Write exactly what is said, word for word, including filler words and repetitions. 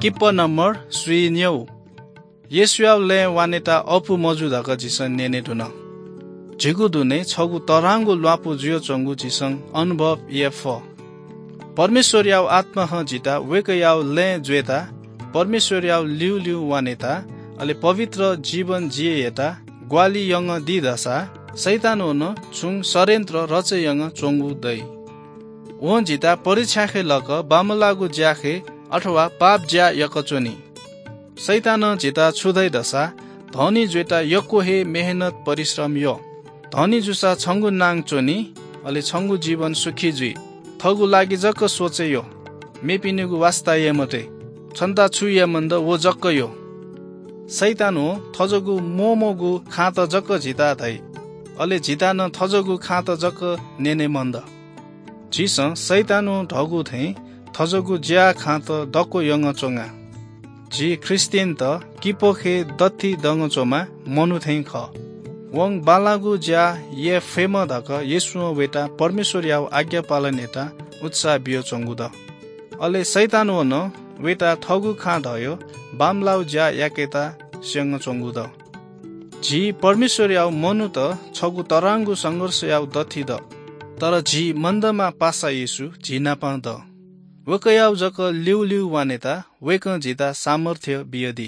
Kippah number स्वीन्यू। येशूयाव लँय् वानेत अःपु मजू धकाः झीसं न्यने धुन। झीगु दुने छगू तःधंगु ल्वापु जुयाच्वंगु झीसं अनुभव याये फः। परमेश्वरयाव आत्मां झीत वय्कःयाव लँय् जुयेत, परमेश्वरयाव ल्यूल्यू वानेत, अले पवित्र जीवन जिये यायेत ग्वाहालि यंगु दी धसा शैतानं नं छुं षड्यन्त्र रचे यंगु च्वंगु दइ। वं झीत परीक्षाखे लक बांमलाःगु ज्याखे अथवा पाप ज्या याकाच्वनी। शैतानं झीत छु धइ धसा, धनी जुयेत यक्व हे मेहनत परिश्रम यः। धनी जूसा छंगु नां च्वनी, अले छंगु जीवन सुखी जुइ। थःगु लागि जक सोचे यः, मेपिनिगु वास्ता याये मते। छन्त छु याये मन द व जक यः। शैतानं थज्याःगु मोमोगु खाँत जक झीत धइ, अले झीत नं थज्याःगु खाँत जक न्यने मन द। झीसं शैतानं धःगु थें थज्याःगु ज्या खाँत दक्व यंगु च्वंगा। झी ख्रीष्टियनत किपोखे दथि दंगु च्वंम्ह मनू थें खः। वं बांलाःगु ज्या याये फयेमा धकाः येशूं वय्त परमेश्वरयाव आज्ञा पालन यायेत उत्साह बियाच्वंगु द। अले शैतानं नं वय्त थःगु खाँ धयाः बांमलाःगु ज्या याकेत स्यंगु च्वंगु द। झी परमेश्वरयाव मनूत छगू तःधंगु संघर्षयाव दथि द। तर झी मन्दमा पासा येशू झी नाप द। वय्कःयाव जक ल्यूल्यू वानेत वय्कलं झीत सामर्थ्य बियादी।